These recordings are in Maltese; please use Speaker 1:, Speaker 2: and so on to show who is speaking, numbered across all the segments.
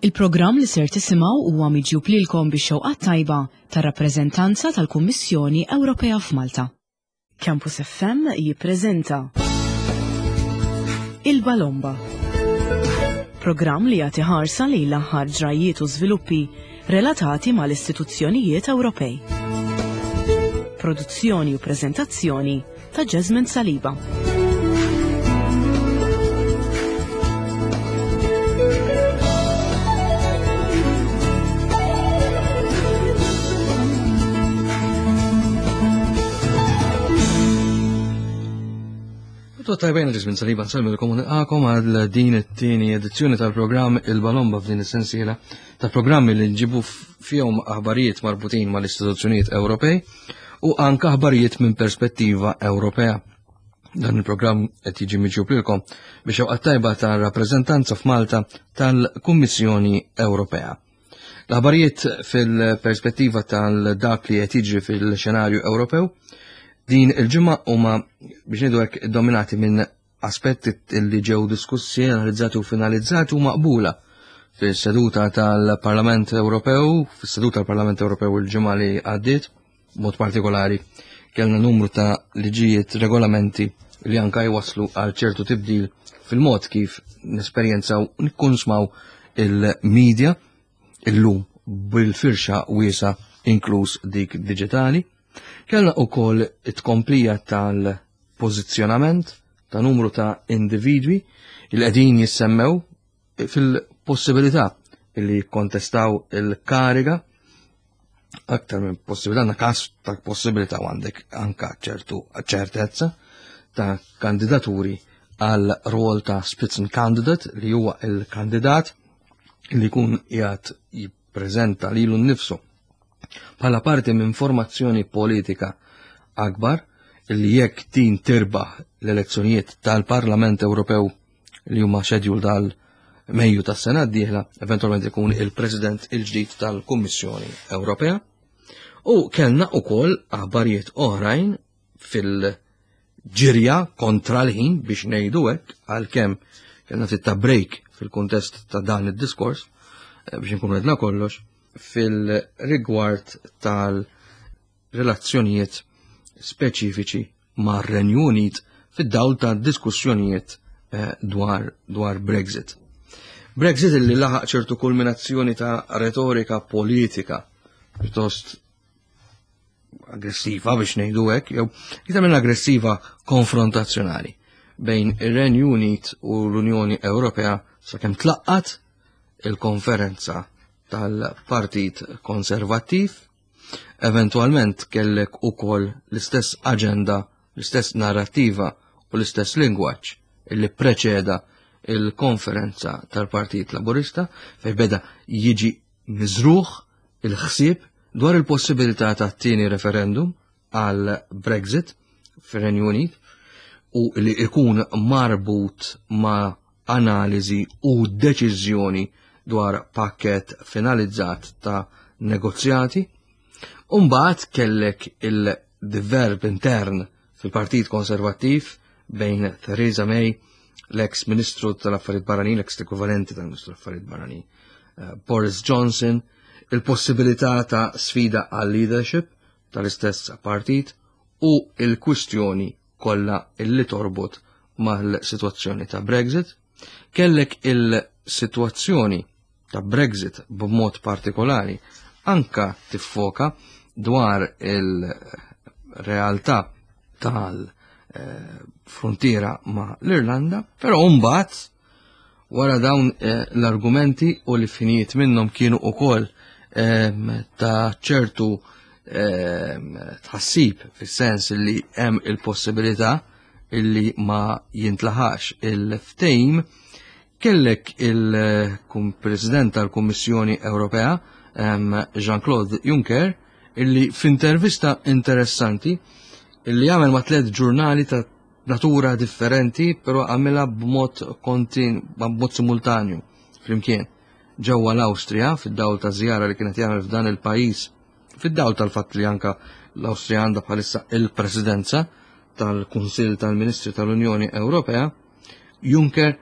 Speaker 1: Il-programm li ser tisimgħu huwa miġjub lilkom bix-xewqat tajba tar-rappreżentanza tal-Kummissjoni Ewropea f'Malta. Campus FM jippreżenta Il-Balomba. Programm li jagħti ħarsa lejn l-aħħar ġrajjiet u żviluppi relatati mal-istituzzjonijiet Ewropej. Produzzjoni u preżentazzjoni ta' Jasmine Saliba.
Speaker 2: Tajbejn ġismin saliba nsalmilkom u nilqakom għal din it-tieni edizzjoni tal-programm Il-Balomba f'din is-sensiela ta' programmi li nġibu fihom aħbarijiet marbutin mal-istituzzjonijiet Ewropej u anka aħbarijiet minn perspettiva Ewropea. Dan il-programm qed jiġi miġjub lilkom biex xewqa tajba ta' rappreżentanza f'Malta tal-Kummissjoni Ewropea. L-aħbarijiet fil-perspettiva tal-dak li qed jiġri fil-xenarju Ewropew din il-ġimgħa huma biex ngħidu hekk dominati minn aspetti li ġew diskussi, analizzati u finalizzati u maqbula fis-seduta tal-Parlament Ewropew, fis-seduta tal-Parlament Ewropew il-ġimgħa li għaddiet, mod partikolari kellna numru ta' liġijiet regolamenti li anka jwaslu għal ċertu tibdil fil-mod kif nesperjenzaw nikkunsmaw il-medja illum bil-firxa wiesa inkluż dik diġitali. Kellna ukoll it-tkomplija tal-pożizzjonament ta' numru ta' individwi li qegħdin jissemmew fil-possibilità li jikkontestaw il-kariga aktar minn possibilità, għandna każ ta' possibilità għandek anka ċertu ċertezza ta' kandidaturi għal rol ta' Spitzenkandidat li huwa il-kandidat li jkun qiegħed jippreżenta lilu nnifsu bħala parti minn formazzjoni politika akbar li jekk din tirbaħ l-elezzjonijiet tal-Parlament Ewropew li huma schedule dal Mejju tas-sena d-dieħla, eventualment ikun il-President il-ġdid tal-Kummissjoni Ewropea. U kellna ukoll aħbarijiet oħrajn fil-ġirja kontra l-ħin biex ngħidu hekk għalkemm kellna ftit ta' break fil-kuntest ta' dan id-diskors eh, biex nkunu edna kollox fil-rigward tal-relazzjonijiet speċifiċi mar-Renju Unit fid-dawl ta' diskussjonijiet eh, dwar, dwar Brexit. Brexit li laħaq ċertu kulminazzjoni ta' retorika politika pjuttost aggressiva biex ngħidu hekk, jew iktar minn aggressiva konfrontazzjonali bejn ir-Renju Unit u l-Unjoni Ewropea sakemm tlaqqat il-konferenza tal-Partit Konservattiv, eventualment kellek ukoll l-istess aġenda, l-istess narrattiva u l-istess lingwaġġ illi preċeda il-konferenza tal-Partit Laburista fejn beda jiġi miżruħ il-ħsieb dwar il-possibilità ta' tieni referendum għal Brexit fir-Renju Unit u li ikun marbut ma' analiżi u deċiżjoni dwar pakket finalizzat ta' negozjati. Umbagħad kellek il-diverb intern fil-Partit Konservattiv bejn Theresa May, l-ex Ministru tal-Affarijiet Barranin, l-ex ekwivalenti tal-Ministru tal-Affarijiet Barranin, eh, Boris Johnson, il-possibilità ta' sfida għal leadership tal-istess partit u il-kwistjoni kollha illi torbot mal-sitwazzjoni ta' Brexit. Kellek il-sitwazzjoni ta' Brexit b'mod partikolari anka tiffoka dwar il-realtà tal-frontiera ma' l-Irlanda, però mbagħad wara dawn eh, l-argumenti u li finijiet minnhom kienu ukoll ehm, ta' ċertu ehm, tħassib fis-sens li hemm il-possibilità illi ma jintlaħax il-ftejm Kellek il-President tal-Kummissjoni Ewropea, Jean-Claude Juncker, illi f'intervista interessanti illi għamel ma' tliet ġurnali ta' natura differenti, però għamilha b'mod kontin, b'mod simultanju flimkien ġewwa l-Awstrija fid-dawl ta' żjara li kienet jagħmel f'dan il-pajjiż fid-dawl tal-fatt li anka l-Awstrija għandha bħalissa il-Presidenza tal-Kunsill tal-Ministri tal-Unjoni Ewropea, Juncker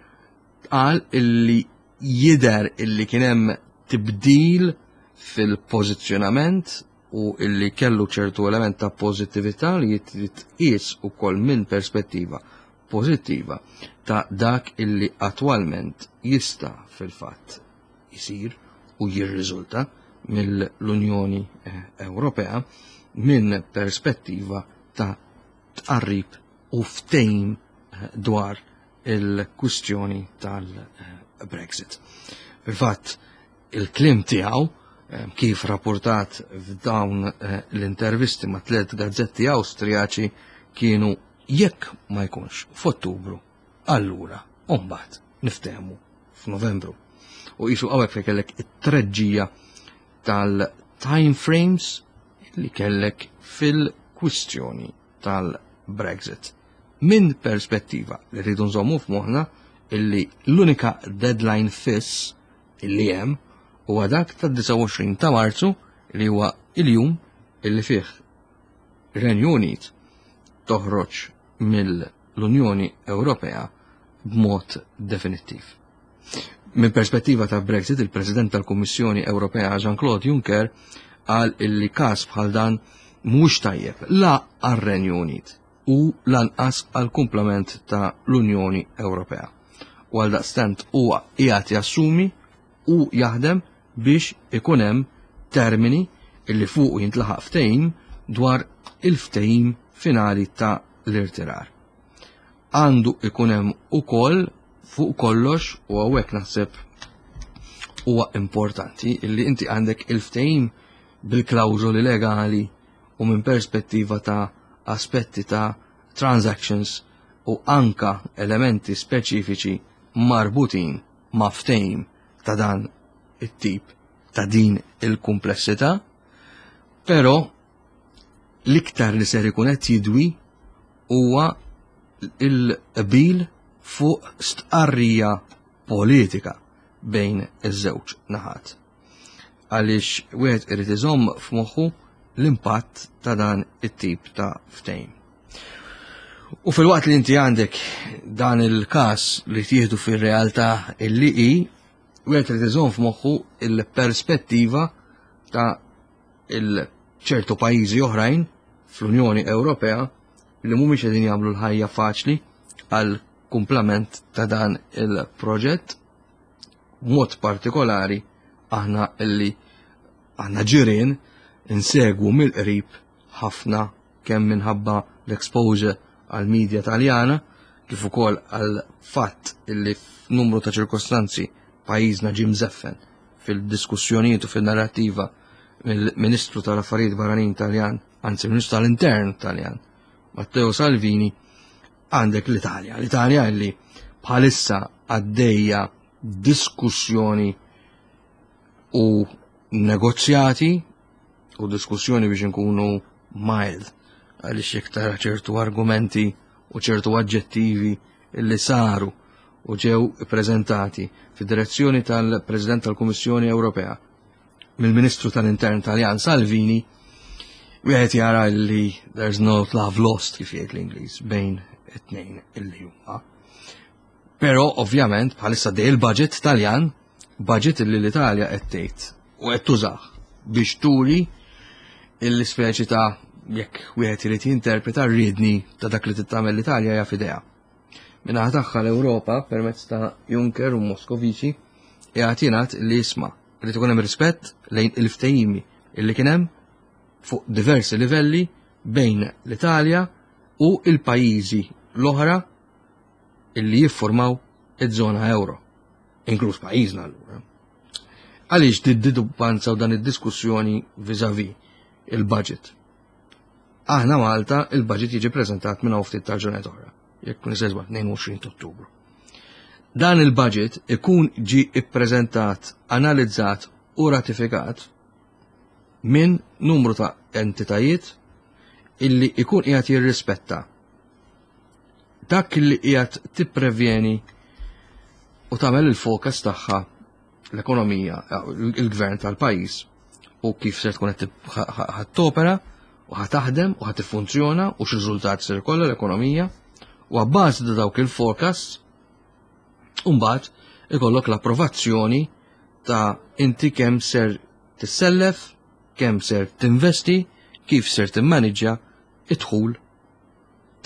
Speaker 2: qal illi Jidher illi kien hemm tibdil fil-pożizzjonament u illi kellu ċertu element ta' pożittività li jitqies ukoll minn perspettiva pożittiva ta' dak illi attwalment jista' fil-fatt isir u jirriżulta mill-Unjoni eh, Ewropea minn perspettiva ta' tqarrib u ftehim eh, dwar il-kwistjoni tal-Brexit. Fil-fatt, il-kliem tiegħu eh, kif rapportat f'dawn eh, l-intervisti ma' tliet gazzetti Awstrijaċi kienu jekk ma jkunx f'Ottubru, allura mbagħad niftehmu f'Novembru. U qisu hawnhekk fejn kellek it-treġġija tal-time frames li kellek fil-kwistjoni tal-Brexit. Minn perspettiva li rridu nżommu f'moħħna illi l-unika deadline fiss illi hemm huwa dak tad-29 ta' Marzu li huwa il-jum illi fih Renju Unit toħroġ mill-Unjoni Ewropea b'mod definittiv. Minn perspettiva ta' Brexit, il-President tal-Kummissjoni Ewropea Jean-Claude Juncker qal illi każ bħal dan mhux tajjeb la għar-Renju Unit u lanqas għal kumplament ta' l-Unjoni Ewropea. U għal daqstant huwa qiegħed jassumi u jaħdem biex ikun hemm termini illi fuq jintlaħaq ftehim dwar il-ftehim finali ta' l-irtirar. Għandu ikun hemm ukoll fuq kollox u hawnhekk naħseb huwa importanti illi inti għandek il-ftehim bil-klawżoli legali u minn perspettiva ta' aspetti ta' transactions u anka elementi speċifiċi marbutin ma' ftehim ta' dan it-tip ta' din il-kumplessità, però l-iktar li ser ikun qed jidwi huwa il-qbil fuq stqarrija politika bejn iż-żewġ naħat. Għaliex wieħed irid iżomm f'moħħu l-impatt ta' dan it-tip ta' ftehim. U fil-waqt li inti għandek dan il-każ li tieħdu fir-realtà illi hi, wieħed irid iżomm f'moħħu il-perspettiva ta' il-ċertu pajjiżi oħrajn fl-Unjoni Ewropea li mhumiex qegħdin jagħmlu l-ħajja faċli għal kumplament ta' dan il-proġett. B'mod partikolari aħna illi aħna ġirien insegwu mill-qrib ħafna kemm minħabba l-exposure għal media Taljana kif ukoll għal fatt illi f'numru ta' ċirkostanzi pajjiżna ġie mżeffen fil-diskussjonijiet u fil-narrattiva mill-Ministru tal-Affarijiet Barranin Taljan, anzi Ministru tal-Intern Taljan, Matteo Salvini, għandek l-Italja. L-Italja illi bħalissa għaddejja diskussjoni u negozjati u diskussjoni biex nkunu mild għaliex jekk tara ċertu argumenti u ċertu aġġettivi li saru u ġew ippreżentati fid-direzzjoni tal-President tal-Kummissjoni Ewropea mill-Ministru tal-Intern Taljan Salvini, wieħed jara li there's no love lost kif jgħid l-Ingliż bejn it-tnejn illi huma. Però ovvjament bħalissa dej il-budget Taljan, budget illi l-Italja qed tgħid u qed tużah biex turi l-ispeċi ta' jekk wieħed irid jinterpreta rridni ta' dak li tittamel l-Italja hija f'idea. Min-naħa tagħha l-Ewropa permezz ta' Juncker u Moscovici qiegħed jingħad li jisma' irid ikun hemm rispett lejn il-ftehimi illi kien hemm fuq diversi livelli bejn l-Italja u il-pajjiżi l-oħra illi jiffurmaw iż-żona euro, inkluż pajjiżna allura. Għaliex did-didubbanza u dan id-diskussjoni vis-a-vis il-budget? Aħna Malta il-budget jiġi preżentat minn hawn ftit tal-ġranet oħra, jekk nisesba 22 Ottubru. Dan il-budget ikun ġi ippreżentat, analizzat u ratifikat minn numru ta' entitajiet illi ikun qiegħed jirrispetta dak li qiegħed tipprevjeni u tagħmel il-fokus tagħha l-ekonomija, il-gvern tal-pajjiż u kif se tkun qed topera u ħa taħdem u ħa tiffunzjona u x'riżultat ser ikollha l-ekonomija u għabbażi ta' dawk il-forecast mbagħad ikollok l-approvazzjoni ta' inti kemm ser tissellef, kemm ser tinvesti, kif ser timmaniġġja id-dħul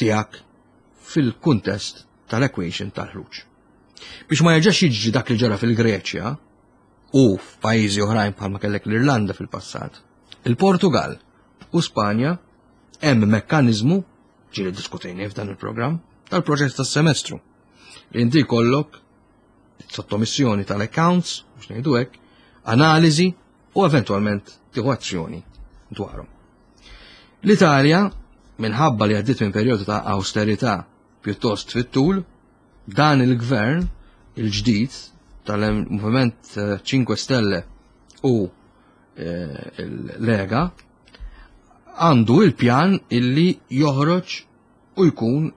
Speaker 2: tiegħek fil-kuntest tal-equation tal-ħruġ. Biex ma jerġax jiġri dak li ġara fil-Greċja u f'pajjiżi oħrajn bħalma kellek l-Irlanda fil-passat, il-Portugal u Spanja hemm mekkaniżmu ġieli diskutejni f'dan il-programm tal-proċess tas-semestru. Li inti jkollok sottomissjoni tal-accounts, biex ngħidu hekk, analiżi u eventwalment tieħu azzjoni dwarhom. L-Italja, minħabba li għaddiet minn perjodu ta' austerità pjuttost fit-tul, dan il-gvern il-ġdid tal-Moviment 5 Stelle u eh, l-Lega għandu il-pjan illi joħroġ u jkun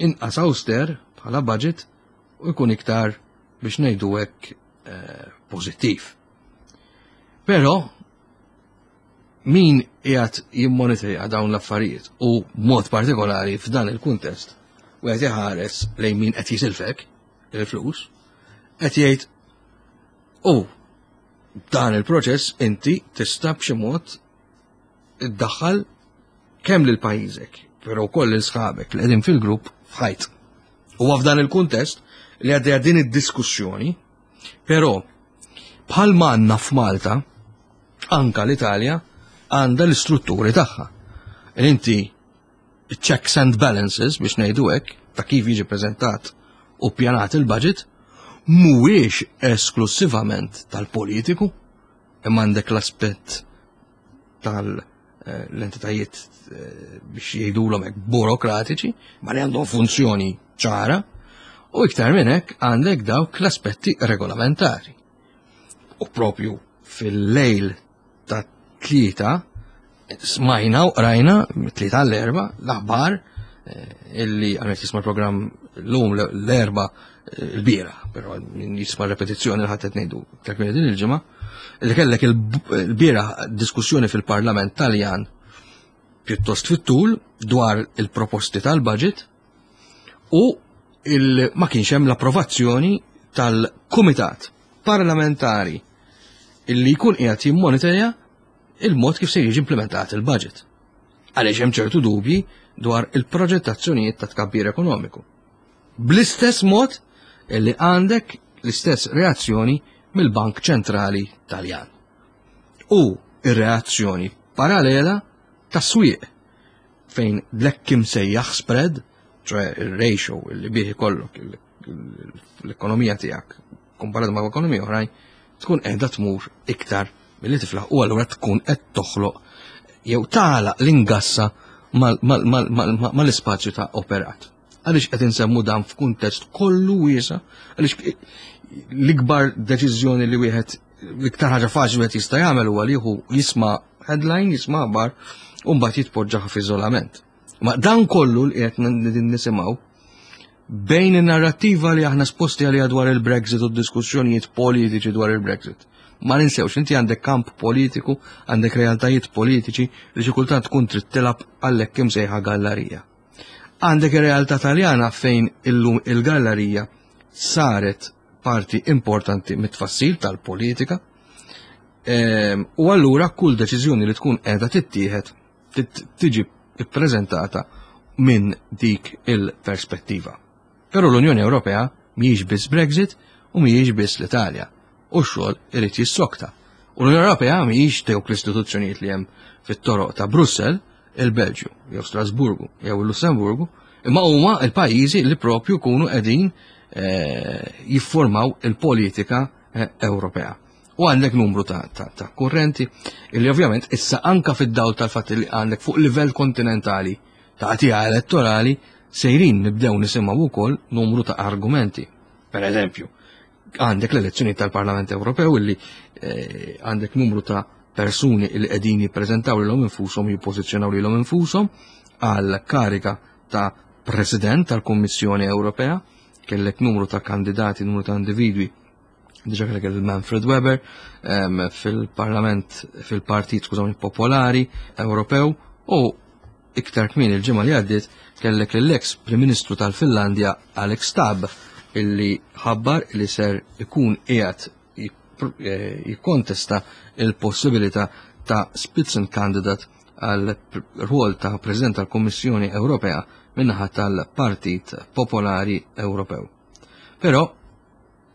Speaker 2: inqas auster bħala budget u jkun iktar biex ngħidu hekk eh, pożittiv. Però min qiegħed jimmonitorja dawn l-affarijiet u mod partikolari f'dan il-kuntest u qed iħares lejn min qed jisilfek il-flus, qed jgħid u dan il-proċess inti tista' b'xi mod iddaħħal kemm lil pajjiżek, però wkoll lil sħabek li qegħdin fil-grupp f'ħajt. U f'dan il-kuntest li għaddejja din id-diskussjoni, però bħal għandna f'Malta, anka l-Italja għandha l-istrutturi tagħha. Inti checks and balances biex ngħidu hekk ta' kif jiġi preżentat u pjanat il-budget mhuwiex esklusivament tal-politiku imma għandek l-aspett tal-entitajiet eh, biex jgħidulhom hekk burokratiċi, ma li għandhom funzjoni ċara, u iktar minn hekk għandek dawk l-aspetti regolamentari. U propju fil-lejl ta' tlieta smajna u qrajna tlieta l-erba l-aħbar eh, illi għamet jisma l-programm l-lum l-erba eh, l-bira, pero min jisma repetizzjoni l-ħadd qed ngħidu ta' din il-ġimgħa, li kellek il-bira diskussjoni fil-Parlament Taljan pjuttost fit-tul dwar il-proposti tal-budget u il ma kienx hemm l-approvazzjoni tal-Kumitat Parlamentari illi jkun qiegħed jimmonitorja il-mod kif se jiġi implementat il-budget. Għaliex hemm ċertu dubji dwar il-proġettazzjonijiet ta' tkabbir ekonomiku. Bl-istess mod illi għandek l-istess reazzjoni mill-Bank Ċentrali Taljan. U ir-reazzjoni parallela tas-swieq fejn l-hekk imsejjaħ spread, ċoħe il-ratio li bih ikollok l-ekonomija tiegħek komparat ma' ekonomija oħrajn, tkun qiegħda tmur iktar milli tiflaħ u allura tkun qed toħloq jew tagħlaq l-ingassa mal-ispazju ta' operat. Għaliex qed insemmu dan f'kuntest kollu wiesa, għaliex l-ikbar deċiżjoni li wieħed l-iktar ħaġa faċli wieħed jista' jagħmel huwa li jieħu jisma' headline, jisma' aħbar u mbagħad jitpoġġaha f'iżolament. Ma dan kollu li qed nisimgħu bejn in-narrattiva li aħna sposti għaliha dwar il-Brexit u d-diskussjonijiet politiċi dwar il-Brexit. Ma ninsewx, inti għandek kamp politiku, għandek realtajiet politiċi li xi kultant tkun trid tilgħab għalhekk imsejħa gallarija. Għandek ir-realtà Taljana fejn illum il-gallerija saret parti importanti mit-tfassil tal-politika. Ehm, u allura kull deċiżjoni li tkun qiegħda tittieħed tiġi ppreżentata minn dik il-perspettiva. Però l-Unjoni Ewropea mhijiex biss Brexit u mhijiex biss l-Italja. U x-xogħol irid jissokta. U l-Unjoni Ewropea mhijiex dawk l-istituzzjonijiet li hemm fit-toroq ta' Brussell, il-Belġju, jew Strasburgu, jew il-Lussemburgu, imma huma l-pajjiżi li propju kunu qegħdin eh, jiffurmaw il-politika eh, Ewropea. U għandek numru ta', ta, ta kurrenti illi ovvjament issa anka fid-dawl tal-fatt li għandek fuq livell kontinentali ta' għatija elettorali sejrin nibdew nisimgħu wkoll numru ta' argumenti. Per eżempju, għandek l-elezzjoni tal-Parlament Ewropew illi eh, għandek numru ta' persuni li qegħdin jippreżentaw lilhom infushom jippożizzjonaw lilhom infushom għal kariga ta' President tal-Kummissjoni Ewropea, kellek numru ta' kandidati, numru ta' individwi diġa kellek il-Manfred Weber fil-Parlament, fil-Partit, skużawni, Popolari Ewropew u iktar kmin il-ġimgħa li għaddiet kellek l-ex Prim Ministru tal-Finlandja Alex Stubb illi ħabbar li ser ikun qiegħed eh, jikkontesta il-possibilità ta' Spitzenkandidat għal rwol ta' President tal-Kummissjoni Ewropea minnaħa tal-Partit Popolari Ewropew. Però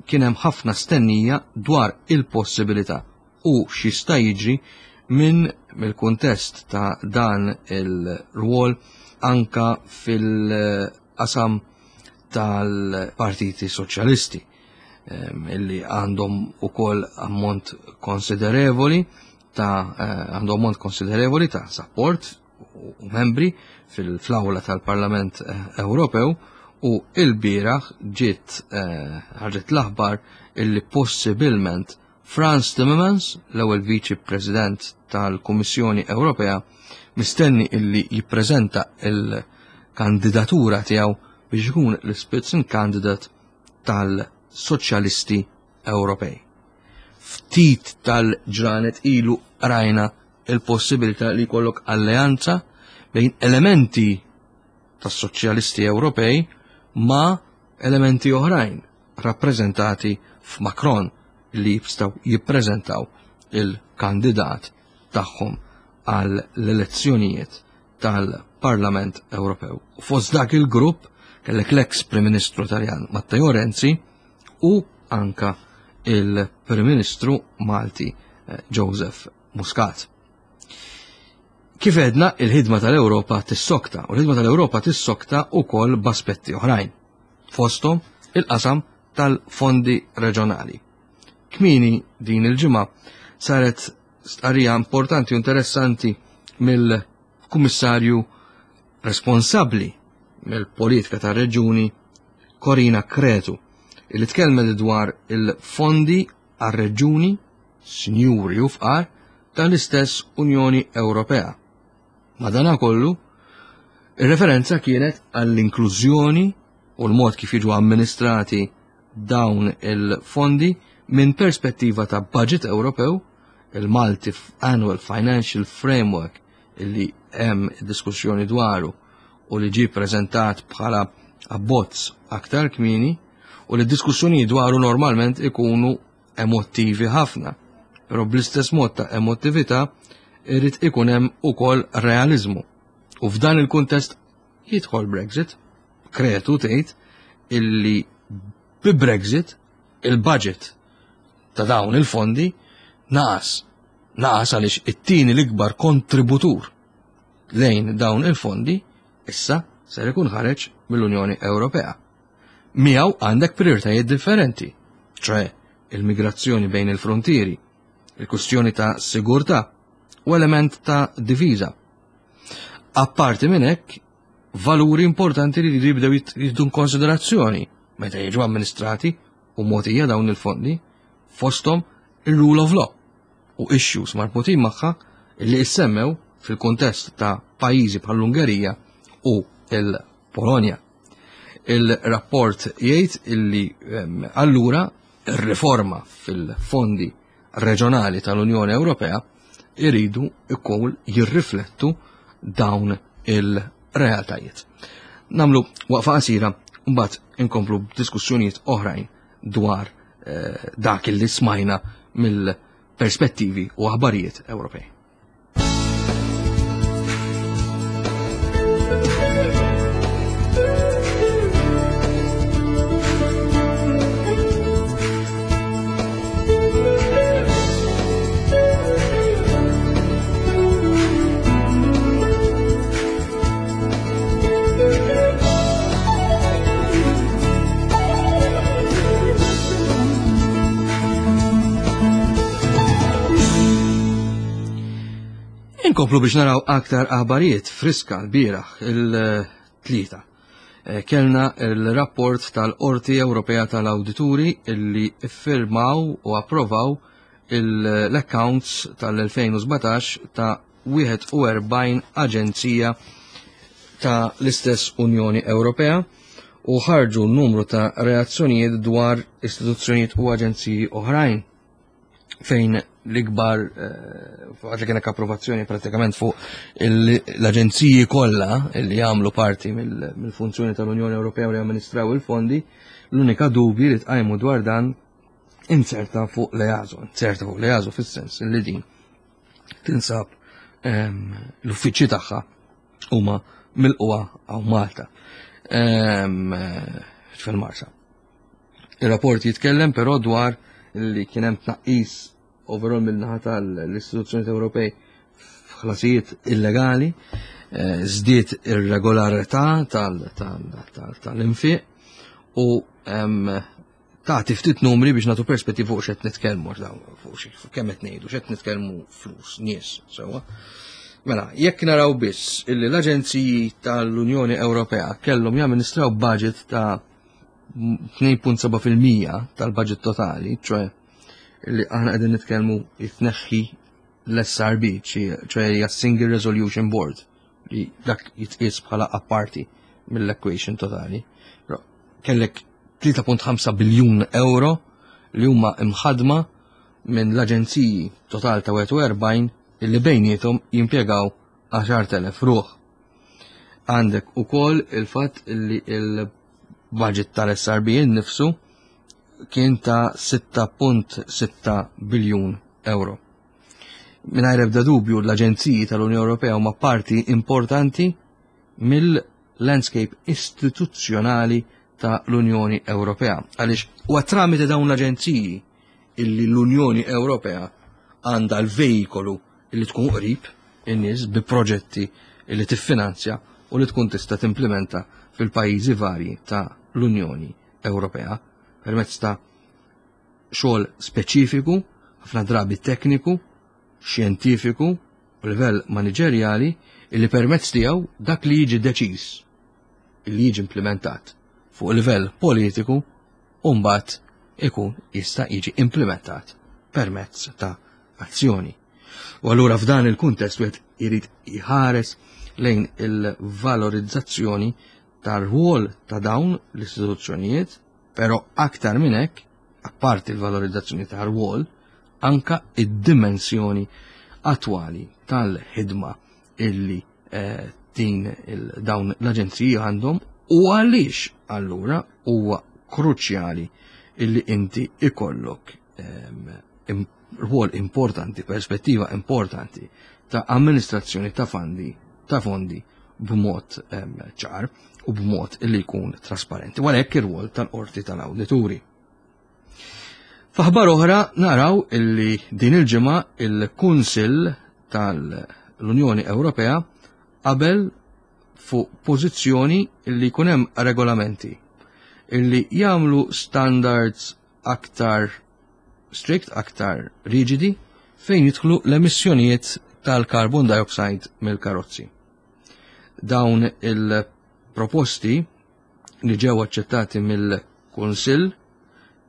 Speaker 2: kien hemm ħafna stennija dwar il-possibilità u x'jista' jiġri minn mill-kuntest ta' dan il-rwol anka fil-qasam tal-partiti soċjalisti ehm, illi għandhom ukoll ammont konsiderevoli ta' eh, għandhom ammont konsiderevoli ta' support u membri fil-flawla tal-Parlament eh, Ewropew u il-bieraħ ġiet eh, ħarġet l-aħbar illi possibilment Frans Timmermans, l-ewwel Viċi President tal-Kummissjoni Ewropea, mistenni illi jippreżenta il-kandidatura tiegħu biex ikun l-Spitzenkandidat tal-Soċjalisti Ewropej. Ftit tal-ġranet ilu rajna il-possibilità li jkollok alleanza bejn elementi tas-Soċjalisti Ewropej ma' elementi oħrajn rappreżentati f'Macron li jistgħu jippreżentaw il-kandidat tagħhom għal l-elezzjonijiet tal-Parlament Ewropew. U fost dak il-grupp kellek l-ex Prim Ministru Taljan Matteo Renzi u anka il-Prim Ministru Malti eh, Joseph Muscat. Kif edna, il-ħidma tal-Ewropa tissokta, u l-ħidma tal-Ewropa tissokta wkoll b'aspetti oħrajn. Fosthom il-qasam tal-fondi reġjonali. Kmini din il-ġimgħa saret stqarrija importanti u interessanti mill-Kummissarju responsabbli mill-politika tar-reġjuni Corina Cretu li tkellmet dwar il-fondi għar-reġjuni sinjuri u fqar tal-istess Unjoni Ewropea. Madanakollu, ir-referenza kienet għall-inklużjoni u l-mod kif jiġu amministrati dawn il-fondi minn perspettiva ta' budget Ewropew, il-Multi Annual Financial Framework illi hemm diskussjoni dwaru u li ġie preżentat bħala abbozz aktar kmieni u li diskussjoni dwaru normalment ikunu emottivi ħafna. Però bl-istess mod ta' emottività irid ikun hemm ukoll realizmu. U f'dan il-kuntest jidħol Brexit, Kretu tgħid illi bi Brexit il-budget ta' dawn il-fondi naqas. Naqas għaliex it-tieni l-ikbar kontributur lejn dawn il-fondi issa ser ikun ħareġ mill-Unjoni Ewropea. Miegħu għandek prioritajiet differenti, ċoe il-migrazzjoni bejn il-frontieri, il-kustjoni ta' sigurtà u element ta' diviża. Apparti minn hekk, valuri importanti li jibdew jieħdu konsiderazzjoni meta jiġu amministrati u mogħtija dawn il-fondi fosthom il-rule of law u issues marbutin magħha li issemmew fil-kuntest ta' pajjiżi bħall-Ungerija u l-Polonja. Il-rapport jgħid illi ehm, allura ir-riforma fil-fondi reġjonali tal-Unjoni Ewropea iridu jkun jirriflettu dawn il-realtajiet. Namlu waqfa qasira mbagħad inkomplu b'diskussjonijiet oħrajn dwar eh, dak li smajna mill-perspettivi u aħbarijiet Ewropej. Inkomplu biex naraw aktar aħbarijiet friska l-bieraħ il-tlieta. Eh, kellna il-rapport tal-Qorti Ewropea tal-Awdituri illi iffirmaw u approvaw l-accounts tal-2017 ta' 41 aġenzija ta' l-istess Unjoni Ewropea u ħarġu numru ta' reazzjonijiet dwar istituzzjonijiet u aġenziji oħrajn fejn l-ikbar eh, għad li kienek approvazzjoni pratikament fuq l-aġenziji kollha li jagħmlu parti mill-funzjoni tal-Unjoni Ewropea u li amministraw il-fondi, L-unika dubji li tqajmu dwar dan inzerta fuq l-EASO, inzerta fuq l-EASO fis-sens li din tinsab l-uffiċċji tagħha huma milquha hawn Malta fil-Marsa. Ir-rapport jitkellem però dwar li kien hemm tnaqqis overall min-naħa tal-istituzzjonijiet Ewropej f'ħlasijiet illegali, żdied ir-regolarità tal-infiq u tagħti ftit numri biex nagħtu perspettiva fuq x'qed nitkellmu fuq kemm qed ngħidu, x'qed nitkellmu flus, nies, sewwa. Mela, jekk naraw biss illi l-aġenziji tal-Unjoni Ewropea kellhom jamministraw budget ta' 2.7% tal-budget totali, ċoe li aħna qegħdin nitkellmu jitneħħi l-SRB, ċoe hija Single Resolution Board, li dak jitqies bħala apparti mill-equation totali. Però kellek 3.5 biljun euro li huma imħadma minn l-aġenziji total ta' 41 illi bejniethom jimpjegaw 10,000 ruħ. Għandek ukoll il-fatt li il-budget tal-SRB innifsu kien ta' 6.6 biljun euro. Mingħajr ebda dubju l-aġenziji tal-Unjoni Ewropea huma parti importanti mill-landscape istituzzjonali ta' l-Unjoni Ewropea. Għaliex huwa tramite dawn l-aġenziji illi l-Unjoni Ewropea għandha l-vejkolu illi tkun qrib in-nies bi proġetti illi tiffinanzja u li tkun tista' timplementa fil-pajjiżi varji ta' l-Unjoni Ewropea permezz ta' xogħol speċifiku, ħafna drabi tekniku, xjentifiku u livell maniġerjali illi permezz tiegħu dak li jiġi deċiż illi jiġi implementat fuq livell politiku u mbagħad ikun jista' jiġi implementat permezz ta' azzjoni. U allura f'dan il-kuntest wieħed irid jħares lejn il-valorizzazzjoni tar-rwol ta' dawn l-istituzzjonijiet, però aktar minn hekk, apparti l-valorizzazzjoni tar-rwol, anka id-dimensjoni attwali tal-ħidma illi eh, din dawn l-aġenziji għandhom u għaliex allura huwa kruċjali illi inti ikollok ehm, rwol importanti, perspettiva importanti ta' amministrazzjoni ta' fondi ta' fondi b'mod ehm, ċar u b'mod illi jkun trasparenti. Għalhekk ir-rwol tal-qorti tal-awdituri. F'aħbar oħra naraw illi din il-ġimgħa il-Kunsill tal-Unjoni Ewropea qabel fuq pożizzjoni illi jkun hemm regolamenti illi jagħmlu standards aktar strict, aktar riġidi fejn jidħlu l-emissjonijiet tal-carbon dioxide mill-karozzi. Dawn il-proposti li ġew aċċettati mill-Kunsill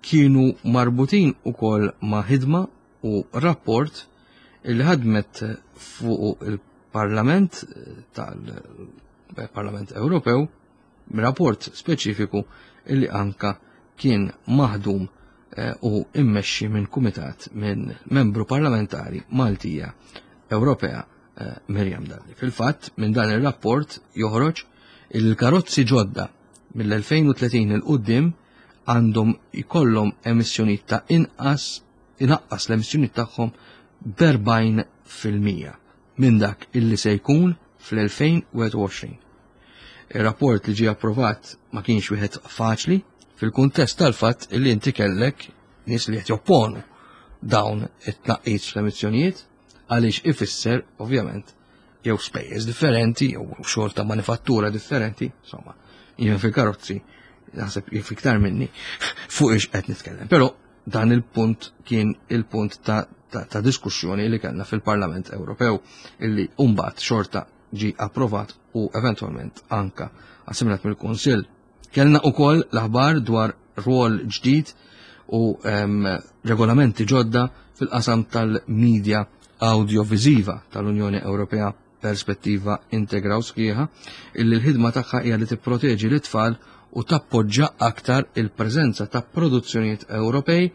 Speaker 2: kienu marbutin ukoll ma' ħidma u rapport li ħadmet fuq il-Parlament tal-Parlament Ewropew, rapport speċifiku li anka kien maħdum eh, u immexxi minn kumitat minn membru parlamentari Maltija Ewropea eh, Miriam Dalli. Fil-fatt, minn dan ir-rapport joħroġ il-karozzi ġodda mill-2030 il qudiem għandhom ikollhom emissjonijiet ta' inqas inaqqas l-emissjonijiet tagħhom b'40% minn dak illi se jkun fl-2021. Ir-rapport li ġie approvat ma kienx wieħed faċli fil-kuntest tal-fatt illi inti kellek nies li qed jopponu dawn it-tnaqqis fl-emissjonijiet għaliex ifisser ovvjament jew spejjeż differenti jew xogħol ta' manifattura differenti, insomma, jien fil-karozzi naħseb jif iktar minni fuq ix qed nitkellem. Però dan il-punt kien il-punt ta', ta, ta diskussjoni li kellna fil-Parlament Ewropew illi mbagħad xorta ġi approvat u eventwalment anka assimilat mill-Kunsill. Kellna ukoll l-aħbar dwar rwol ġdid u um, regolamenti ġodda fil-qasam tal-medja audiovisiva tal-Unjoni Ewropea perspettiva integraw sħiħa illi l-ħidma tagħha hija li tipproteġi l-itfal u tappoġġa aktar il-preżenza ta' produzzjonijiet Ewropej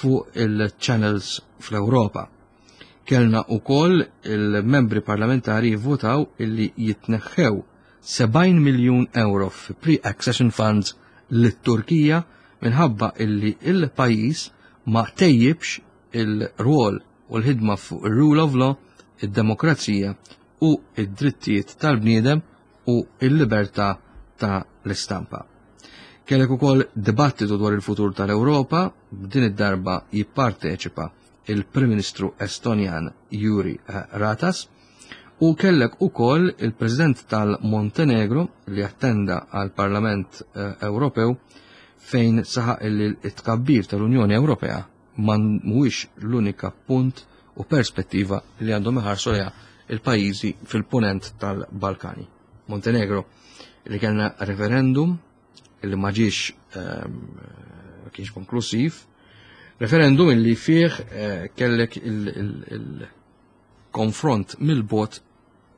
Speaker 2: fuq il-channels fl-Ewropa. Kellna ukoll il-membri parlamentari jivvotaw illi jitneħħew 70 miljun euro fi pre-accession funds lit-Turkija. minħabba illi il-pajjiż ma tejjibx il-rwol u l-ħidma fuq ir-rule of law, id-demokrazija u id-drittijiet tal-bniedem u il-libertà ta' l-istampa. Kellek ukoll dibattitu dwar il-futur tal-Ewropa, b'din id-darba jipparteċipa il-Prim Ministru Estonjan Juri Ratas u kellek ukoll il-President tal-Montenegro li attenda għal Parlament eh, Ewropew fejn saħaq li t-tkabbir tal-Unjoni Ewropea ma mhuwiex l-unika punt u perspettiva li għandhom iħarsu lejha il-pajjiżi fil-punent tal-Balkani. Montenegro li kellna referendum li ma ġiex ehm, kienx konklusiv, referendum illi fih eh, kellek il-konfront mill-bot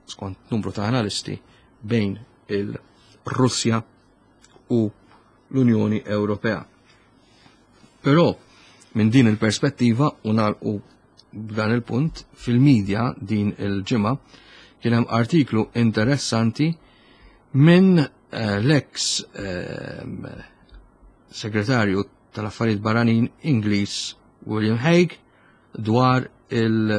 Speaker 2: skont numru ta' analisti bejn il-Russja u l-Unjoni Ewropea. Però minn din il-perspettiva u nagħlqu b'dan il-punt fil-medja din il-ġimgħa kien hemm artiklu interessanti minn eh, l-ex eh, segretarju tal-affarijiet barranin Ingliż William Hague dwar il-problema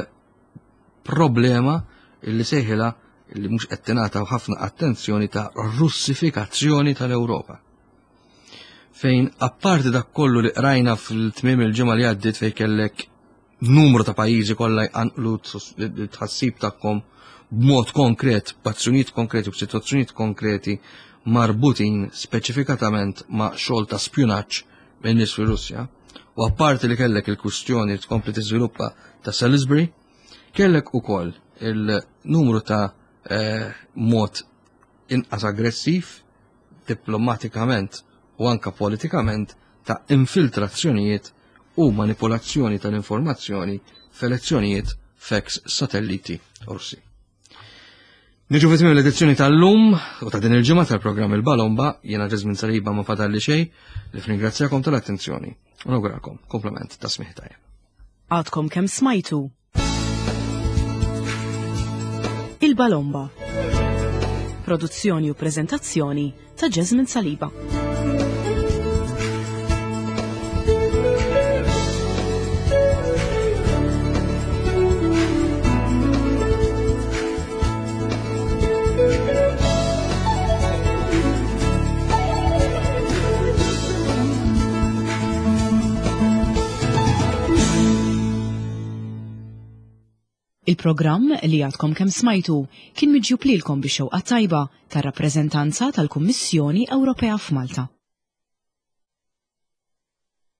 Speaker 2: illi sejħilha li mhux qed tingħata ħafna attenzjoni ta' russifikazzjoni tal-Ewropa. Fejn apparti dak kollu li qrajna fil-tmiem il-ġimgħa li għaddiet fejn kellek numru ta' pajjiżi kollha jqanqlu tħassib tagħhom b'mod konkret, b'azzjonijiet konkreti u b'sitwazzjonijiet konkreti marbutin speċifikatament ma' xogħol ta' spjunaġġ minn nies fir-Russja. U apparti li kellek il-kwistjoni li tkompli tiżviluppa ta' Salisbury, kellek ukoll il-numru ta' eh, mod inqas aggressiv diplomatikament u anka politikament ta' infiltrazzjonijiet u manipolazzjoni tal-informazzjoni f'elezzjonijiet f'ex satelliti Russi. Niġu fi l-edizzjoni tal-lum u ta' din il-ġimgħa tal-programm il-Balomba, jiena Ġeżmin Saliba ma fadalli xejn li f'ringrazzjakom tal-attenzjoni u nawgurakom komplement ta' smih tajjeb.
Speaker 1: Għadkom kemm smajtu Il-Balomba. Produzzjoni u prezentazzjoni ta' Jasmine Saliba. Il-programm li għadkom kemm smajtu kien miġjub lilkom bix-xewqa tajba tar-rappreżentanza tal-Kummissjoni Ewropea f'Malta.